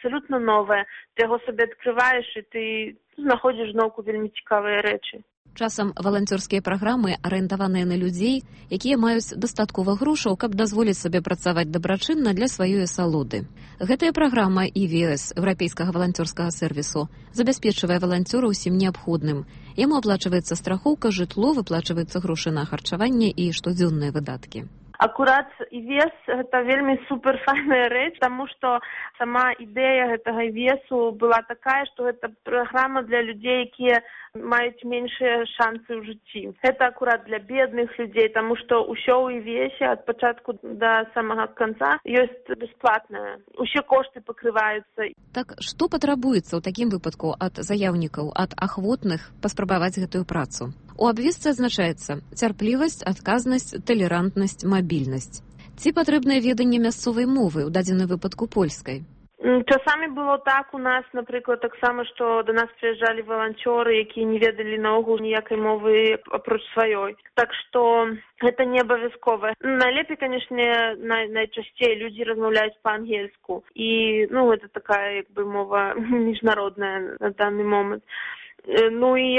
абсалютна новае. Ты яго сабе адкрываеш, і ты знаходзіш зноўку вельмі цікавыя рэчы. Часам валанцёрскія праграмы арыентаваныя на людзей, якія маюць дастаткова грошаў, каб дазволіць сабе працаваць дабрачынна для сваёй асалоды. Гэтая праграма ІВС, еўрапейскага валанцёрскага сервісу, забяспечвае валанцёра ўсім неабходным. Яму аплачваецца страхоўка, жытло, выплачваюцца грошы на харчаванне і штодзённыя выдаткі. Акурат ІВС – гэта вельмі суперфайная рэч, таму што сама ідэя гэтага ІВСу была такая, што гэта праграма для людзей, якія маюць меншыя шансы ў жыцці. Гэта акурат для бедных людзей, таму што ўсё ў ІВСе ад пачатку да самага канца ёсць бясплатнае. Усе кошты пакрываюцца. Так што патрабуецца ў такім выпадку ад заяўнікаў, ад ахвотных паспрабаваць гэтую працу? У абвестцы адзначаецца цярплівасць, адказнасць, талерантнасць, мабільнасць. Ці патрэбнае веданне мясцовай мовы, у дадзеным выпадку польскай? Часамі было так у нас, напрыклад, таксама, што да нас прыязджалі валанцёры, якія не ведалі наогул ніякай мовы апроч сваёй. Так што гэта не абавязкова. Найлепей, канешне, найчасцей людзі размаўляюць па-ангельску. І, гэта такая, як бы, мова міжнародная на данный момент. Ну і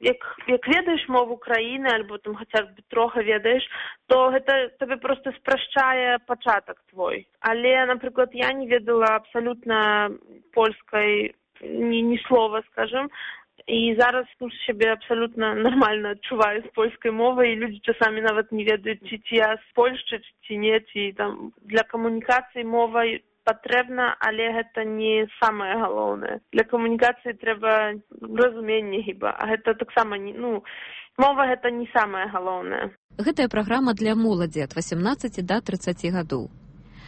як ведаеш мову краіны, альбо там хаця б трохи ведаеш, то гэта табе проста спрашчае пачатак твой. Але, напрыклад, я не ведала абсалютна польскай ні слова, скажем, і зараз сябе абсалютна нармальна адчуваю з польскай мовай, і людзі часамі нават не ведаюць, ці я з Польшчы, ці не, ці там для камунікацыі мовай патрэбна, але гэта не самае галоўнае. Для камунікацыі трэба разуменне хіба, а гэта таксама мова гэта не самае галоўнае. Гэтая праграма для моладзі ад 18 да 30 гадоў.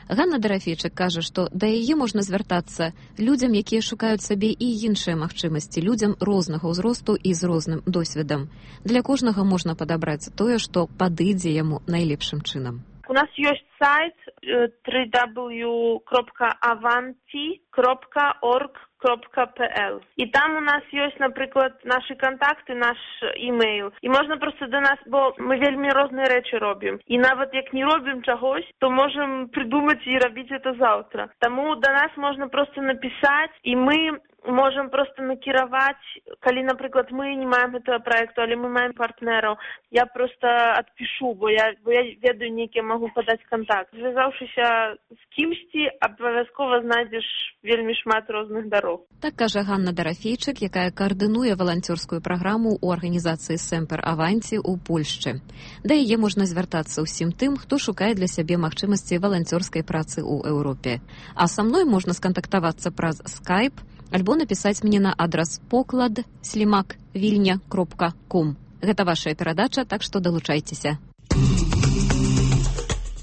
Ганна Дарафейчык кажа, што да яе можна звяртацца людзям, якія шукаюць сабе і іншыя магчымасці, людзям рознага ўзросту і з розным досведам. Для кожнага можна падабраць тое, што падыдзе яму найлепшым чынам. У нас ёсць сайт www.avanti.org.pl. І там у нас ёсць, напрыклад, нашы кантакты, наш імейл. І можна проста да нас, бо мы вельмі розныя рэчы робім. І нават як не робім чагось, то можам придумаць і рабіць это заўтра. Таму да нас можна проста напісаць, і мы можам проста накіраваць, калі, напрыклад, мы не маем гэтага праекту, але мы маем партнераў. Я проста адпішу, бо я ведаю нейкі, магу падаць кантакт. Звязаўшыся з кімсьці, абавязкова знайдзеш вельмі шмат розных дарог. Так кажа Ганна Дарафейчык, якая каардынуе валанцёрскую праграму ў арганізацыі Семпер Аванти ў Польшчы. Да яе можна звяртацца ўсім тым, хто шукае для сябе магчымасці валанцёрскай працы ў Еўропе. А са мной можна скантактавацца праз Skype, альбо напісаць мне на адрас poklad@vilnia.com. Гэта вашая перадача, так што далучайцеся.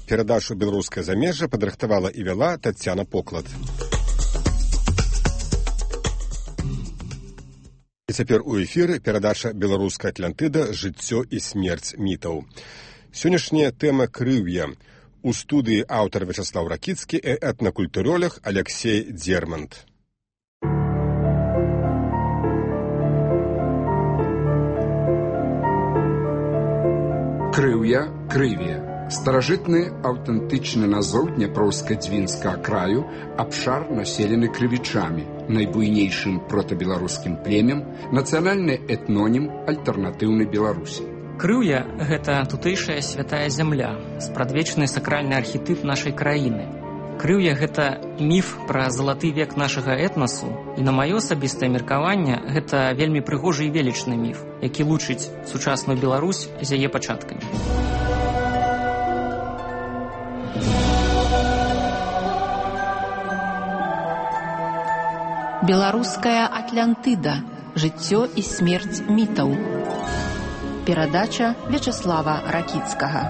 Перадачу «Беларускае замежжа» падрыхтавала і вяла Таццяна Поклад. І цяпер у эфіры перадача «Беларуская Атлантыда. Жыццё і смерць мітаў». Сённяшняя тэма крыўя. У студыі аўтар Вячаслаў Ракіцкі і этнакультуролог Алексей Дзермант. Крыўя, крыве. Старажытны аўтэнтычны назоў Дняпроўска-Дзвінскага краю, абшар населены крывічамі, найбуйнейшым протабеларускім племем, нацыянальны этнонім альтэрнатыўнай Беларусі. Крыўя – гэта тутэйшая святая зямля, спрадвечны сакральны архетып нашай краіны. Крыўя – гэта міф пра залаты век нашага этнасу, і на маё асабістае меркаванне гэта вельмі прыгожы і велічны міф, які лучыць сучасную Беларусь з яе пачаткамі. Беларуская Атлантыда. Жыццё і смерць мітаў. Перадача Вячаслава Ракіцкага.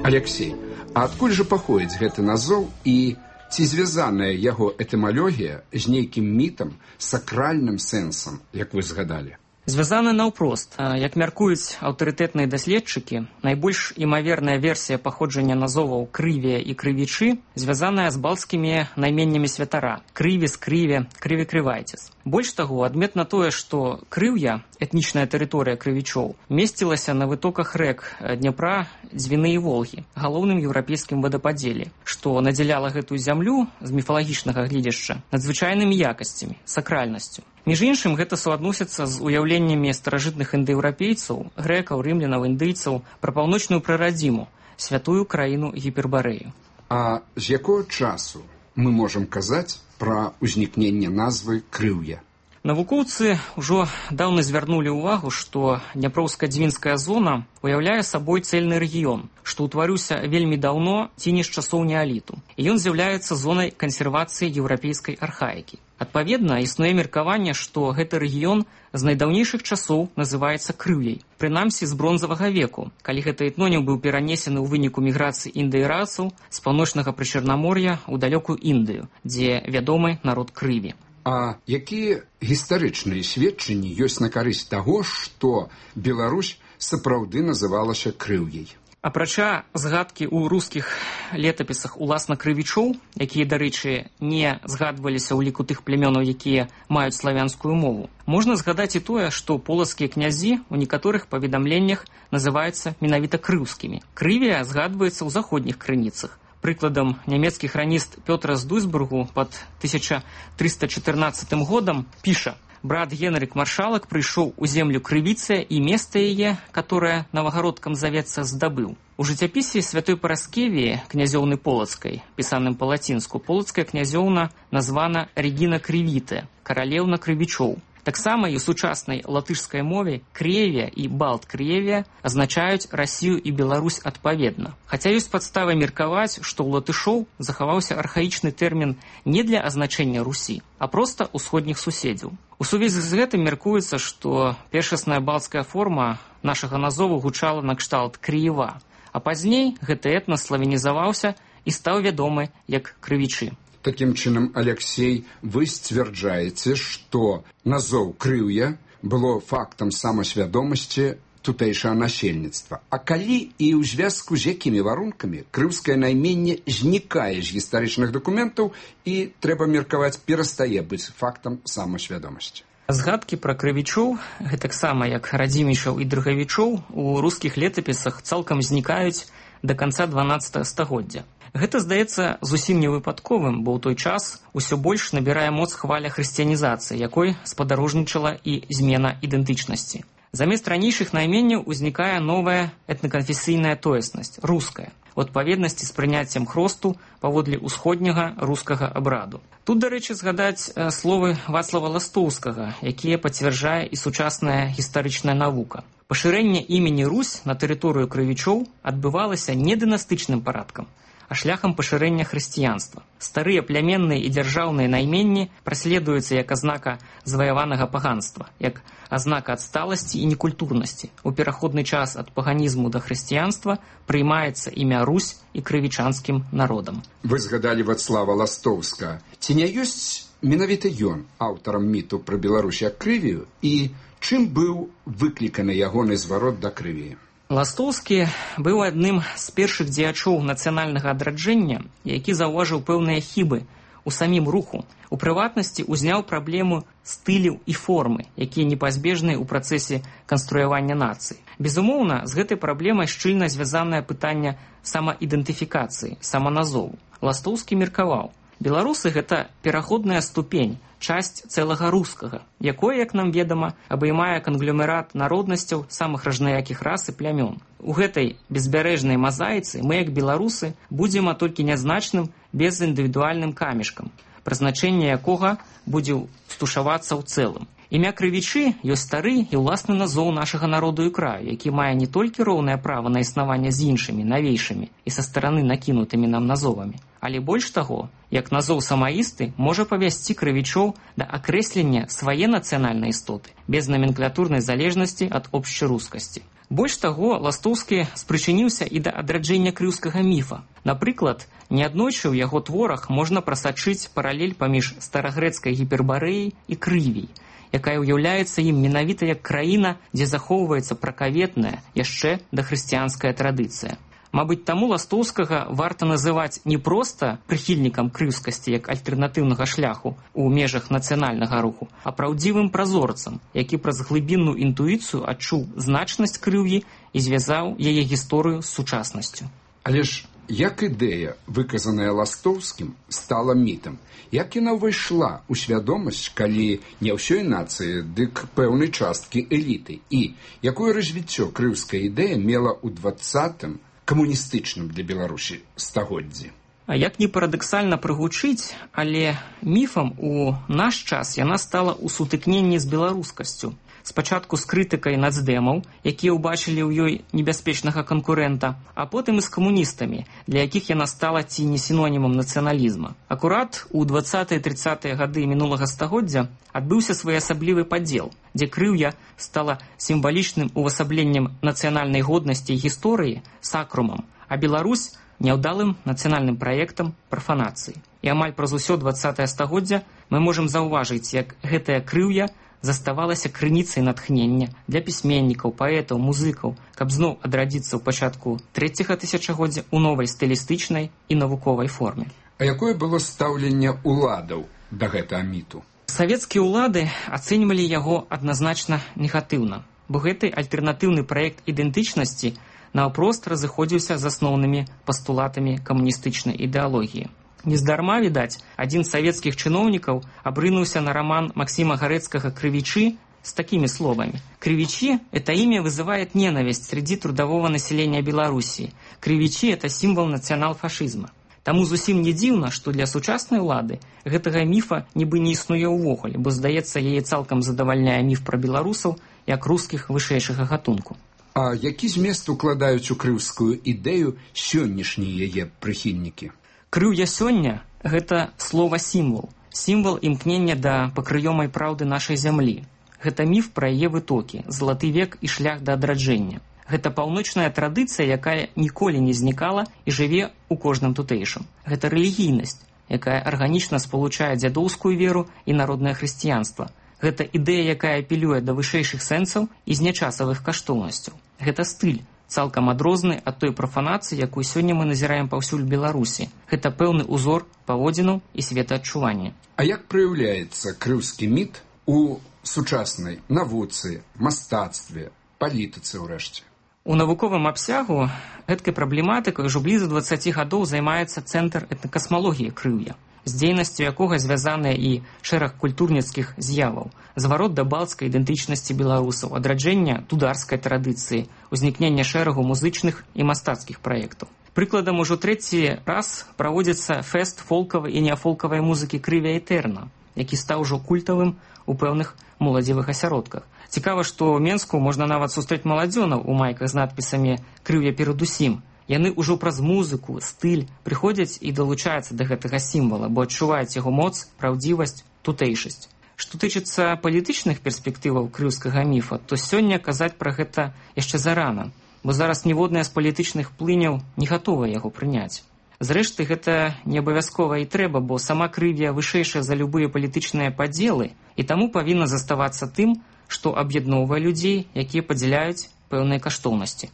Алексей, а адкуль жа паходзіць гэты назоў і ці звязаная яго этымалогія з нейкім мітам, сакральным сэнсам, як вы згадалі? Звязаны наўпрост. Як мяркуюць аўтарытэтныя даследчыкі, найбольш імаверная версія паходжання назоваў крывія і крывічы звязаная з балцкімі найменнямі святара – крывіс, крыве, крыве-крывайцес. Больш таго, адметна тое, што крыўя, этнічная тэрыторыя крывічоў, месцілася на вытоках рэк Дняпра, Дзвіны і Волгі, галоўным еўрапейскім вадападзеле, што надзяляла гэтую зямлю з міфалагічнага гледзяшча надзвычайнымі якасцямі, сакральнасцю. Між іншым, гэта суадносіцца з уяўленнямі старажытных індаеўрапейцаў, грэкаў, рымлянаў, індыйцаў пра паўночную прарадзіму, святую краіну Гіпербарэю. А з якого часу мы можам казаць пра ўзнікненне назвы крыўя? Навукоўцы ўжо даўно звярнулі ўвагу, што Дняпроўска-Дзвінская зона уяўляе сабой цэльны рэгіён, што ўтварыўся вельмі даўно ці не з часоў неаліту. І ён з'яўляецца зонай кансервацыі еўрапейскай архаікі. Адпаведна, існуе меркаванне, што гэты рэгіён з найдаўнейшых часоў называецца крыўяй, прынамсі з бронзавага веку, калі гэты этнонім быў перанесены ў выніку міграцыі індаерацаў з паўночнага прычарнамор'я ў далёкую Індыю, дзе вядомы народ крыві. А якія гістарычныя сведчанні ёсць на карысць таго, што Беларусь сапраўды называлася крыўяй? Апрача згадкі ў рускіх летапісах уласна крывічоў, якія, дарэчы, не згадваліся ў ліку тых плямёнаў, якія маюць славянскую мову, можна згадаць і тое, што полацкія князі ў некаторых паведамленнях называюцца менавіта крыўскімі. Крывія згадваецца ў заходніх крыніцах. Прыкладам, нямецкі храніст Пётр з Дуйсбургу пад 1314 годам піша: «Брат Генрик Маршалак прыйшоў у землю крывіцы і место яе, которое новогородкам завецца, здабыў». У жыццяпісе святой Параскевіі, князёўны Полацкай, пісаным па-лацінску, полацкая князёўна названа Регіна Крывітая, каралеўна крывічоў. Таксама і ў сучаснай латышскай мове Кревія і Балт-Кревія азначаюць Расію і Беларусь адпаведна. Хаця ёсць падставы меркаваць, што ў латышоў захаваўся архаічны тэрмін не для азначэння Русі, а проста ўсходніх суседзяў. У сувязі з гэтым меркуецца, што першасная балцкая форма нашага назову гучала накшталт Крыева, а пазней гэты этнас славянізаваўся і стаў вядомы як крывічы. Такім чынам, Алексей, вы сцвярджаеце, што назоў крыўя было фактам самасвядомасці тутэйшага насельніцтва. А калі і ў звязку з якімі варункамі крыўскае найменне знікае з гістарычных дакументаў і, трэба меркаваць, перастае быць фактам самасвядомасці? Згадкі пра крывічоў, гэтаксама як радзімічаў і дрыгавічоў, у рускіх летапісах цалкам знікаюць да канца 12 стагоддзя. Гэта здаецца зусім невыпадковым, бо ў той час усё больш набірае моц хваля хрысціянізацыі, якой спадарожнічала і змена ідэнтычнасці. Замест ранейшых найменняў узнікае новая этнаканфесійная тоеснасць – руская, у адпаведнасці з прыняццем хросту паводле ўсходняга рускага абраду. Тут, дарэчы, згадаць словы Вацлава Ластоўскага, якія пацвярджае і сучасная гістарычная навука. Пашырэнне імені Русь на тэрыторыю крывічоў адбывалася не дынастычным парадкам, а шляхам пашырэння хрысціянства. Старыя пляменныя і дзяржаўныя найменні праследуюцца як азнака заваяванага паганства, як азнака адсталасці і некультурнасці. У пераходны час ад паганізму да хрысціянства прыймаецца імя Русь і крывічанскім народам. Вы згадалі Вацлава Ластоўска. Ці не ёсць менавіта ён аўтарам міту пра Беларусь як крывію і чым быў выкліканы ягоны зварот да крывіі? Ластоўскі быў адным з першых дзеячоў нацыянальнага адраджэння, які заўважыў пэўныя хібы ў самім руху. У прыватнасці ўзняў праблему стыляў і формы, якія непазбежныя ў працэсе канструявання нацыі. Безумоўна, з гэтай праблемай шчыльна звязанае пытанне самаідэнтыфікацыі, саманазову. Ластоўскі меркаваў: беларусы – гэта пераходная ступень, часць цэлага рускага, якое, як нам ведама, абаймае кангломерат народнасцяў самых разнаякіх рас і плямён. У гэтай безбярэжнай мазаіцы мы, як беларусы, будзем толькі нязначным безіндывідуальным камешкам, прызначэнне якога будзе стушавацца ў цэлым. Імя крывічы ёсць стары і ўласны назоў нашага народу і краю, які мае не толькі роўнае права на існаванне з іншымі, навейшымі і са стараны накінутымі нам назовамі, але больш таго, як назоў самаісты можа павясці крывічоў да акрэслення свае нацыянальнай істоты, без наменклатурнай залежнасці ад общерускасці. Больш таго, Ластоўскі спрычыніўся і да адраджэння крыўскага міфа. Напрыклад, неаднойчы ў яго творах можна прасачыць паралель паміж старагрэцкай Гіпербарэяй і крывій. якая ўяўляецца ім менавіта як краіна, дзе захоўваецца пракаветная, яшчэ дахрысціянская традыцыя. Мабыць, таму Ластоўскага варта называць не проста прыхільнікам крыўскасці як альтэрнатыўнага шляху ў межах нацыянальнага руху, а праўдзівым празорцам, які праз глыбінную інтуіцыю адчуў значнасць крыўі і звязаў яе гісторыю з сучаснасцю. Але ж як ідэя, выказаная Ластоўскім, стала мітам? Як яна ўвайшла ў свядомасць, калі не ўсёй нацыі, дык пэўнай часткі эліты? І якое развіццё крыўская ідэя мела ў 20-м камуністычным для Беларусі стагоддзі? А як не парадаксальна прыгучыць, але міфам у наш час яна стала ў сутыкненні з беларускасцю. Спачатку з крытыкай нацдэмаў, якія ўбачылі ў ёй небяспечнага канкурэнта, а потым і з камуністамі, для якіх яна стала ці не сінонімам нацыяналізма. Акурат у 20-30-е гады мінулага стагоддзя адбыўся своеасаблівы падзел, дзе крыўя стала сімвалічным увасабленнем нацыянальнай годнасці і гісторыі, сакрумам, а Беларусь няўдалым нацыянальным праектам прафанацыі. І амаль праз усё 20-е стагоддзя мы можам заўважыць, як гэтая крыўя заставалася крыніцай натхнення для пісьменнікаў, паэтаў, музыкаў, каб зноў адрадзіцца ў пачатку 3-го тысячагоддзя ў новай стылістычнай і навуковай форме. А якое было стаўленне ўладаў да гэтага міту? Савецкія ўлады ацэньвалі яго адназначна негатыўна, бо гэты альтэрнатыўны праект ідэнтычнасці наўпрост разыходзіўся з асноўнымі пастулатамі камуністычнай ідэалогіі. Нездарма, відаць, адзін з савецкіх чыноўнікаў абрынуўся на роман Максима Гарэцкага «Крывичи» с такими словами. «Кривичи – это имя вызывает ненависть среди трудового населения Белоруссии. Кривичи – это символ национал-фашизма». Таму зусім не дзіўна, што для сучаснай улады гэтага міфа нібы не існуе ўвогуле, бо, здаецца, яе цалкам задавальняе міф пра беларусаў як рускіх вышэйшага гатунку. А які змест укладаюць у крыўскую ідэю сённяшнія яе прыхільнікі? Крыўя сёння – гэта слова-сімвал. Сімвал імкнення да пакрыёмай праўды нашай зямлі. Гэта міф пра яе вытокі, залаты век і шлях да адраджэння. Гэта паўночная традыцыя, якая ніколі не знікала і жыве ў кожным тутэйшым. Гэта рэлігійнасць, якая арганічна спалучае дзядоўскую веру і народнае хрысціянства. Гэта ідэя, якая апелюе да вышэйшых сэнсаў і знячасавых каштоўнасцяў. Гэта стыль, цалкам адрозны ад той прафанацыі, якую сёння мы назіраем паўсюль Беларусі. Гэта пэўны ўзор паводзінаў і светаадчування. А як праяўляецца крыўскі міт у сучаснай навуцы, мастацтве, палітыцы ўрэшце? У навуковым абсягу гэткай праблематыкай ўжо блізу 20 гадоў займаецца Цэнтр этнакасмалогіі крыўя, з дзейнасцю якога звязаныя і шэраг культурніцкіх з'яваў, зварот да балцкай ідэнтычнасці беларусаў, адраджэння тударскай традыцыі, узнікнення шэрагу музычных і мастацкіх праектаў. Прыкладам, ужо 3-й раз праводзіцца фэст фолкавай і неафолкавай музыкі «Крывя Этерна», які стаў ужо культавым у пэўных моладзевых асяродках. Цікава, што ў Менску можна нават сустрэць маладзёнаў у майках з надпісамі «Крыўя перадусім». Яны ўжо праз музыку, стыль прыходзяць і далучаюцца да гэтага сімвала, бо адчуваюць яго моц, праўдзівасць, тутэйшасць. Што тычыцца палітычных перспектываў крыўскага міфа, то сёння казаць пра гэта яшчэ зарана, бо зараз ніводная з палітычных плыняў не гатовая яго прыняць. Зрэшты, гэта не абавязкова і трэба, бо сама крывя вышэйшая за любыя палітычныя падзелы і таму павінна заставацца тым, што аб'ядноўвае людзей, якія падзяляюць пэўныя каштоўнасці.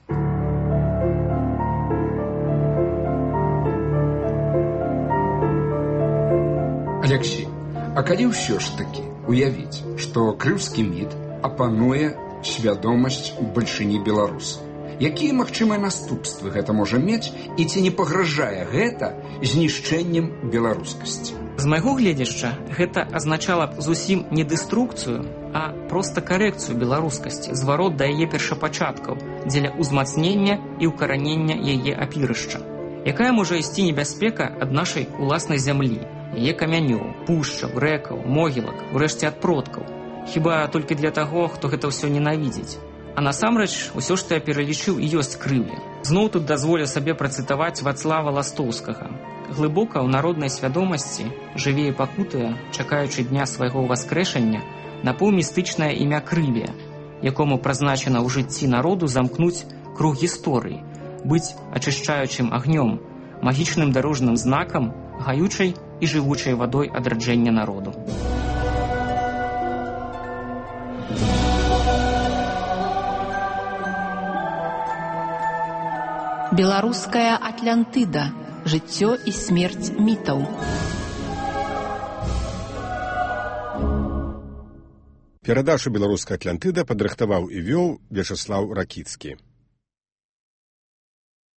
Алексей, а калі ўсё ж такі уявіць, што крыўскі міт апануе свядомасць бальшыні беларусаў, якія магчымыя наступствы гэта можа мець і ці не пагражае гэта знішчэннем беларускасці? З майго гледзяшча, гэта азначала б зусім не дэструкцыю, а проста карэкцыю беларускасці, зварот да яе першапачаткаў дзеля ўзмацнення і ўкаранення яе апірышча. Якая можа ісці небяспека ад нашай уласнай зямлі, яе камянёў, пушчаў, рэкаў, могілак, урэшце ад продкаў. Хіба толькі для таго, хто гэта ўсё ненавідзіць. А насамрэч, усё, што я пералічыў, і ёсць крыўя. Зноў тут дазволю сабе працытаваць Вацлава Ластоўскага. Глыбока ў народнай свядомасці жыве і пакутуе, чакаючы дня свайго ўваскрэшання, напаўмістычнае імя крывя, якому прызначана ў жыцці народу замкнуць круг гісторыі, быць ачышчаючым агнём, магічным дарожным знакам, гаючай і жывучай вадой адраджэння народу. Беларуская Атлантыда. Жыццё і смерць мітаў. Перадачу «Беларуская Атлантыда» падрыхтаваў і вёў Вячаслаў Ракіцкі.